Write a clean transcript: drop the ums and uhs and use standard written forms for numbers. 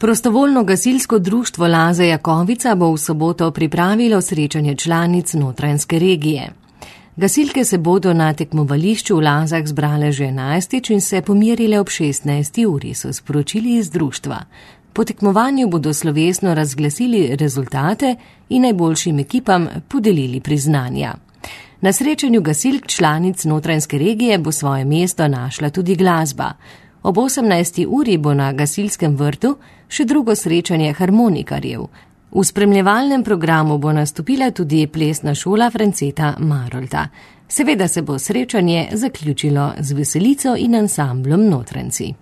Prostovoljno gasilsko društvo Laze Jakovica bo v soboto pripravilo srečanje članic Notranjske regije. Gasilke se bodo na tekmovališču v Lazah zbrale že 11. in se pomirile ob 16. uri, so sporočili iz društva. Po tekmovanju bodo slovesno razglasili rezultate in najboljšim ekipam podelili priznanja. Na srečanju gasilk članic Notranjske regije bo svoje mesto našla tudi glasba. Ob 18. uri bo na gasilskem vrtu še drugo srečanje harmonikarjev. V spremljevalnem programu bo nastopila tudi plesna šola Franceta Marolta. Seveda se bo srečanje zaključilo z veselico in ansamblom Notranjci.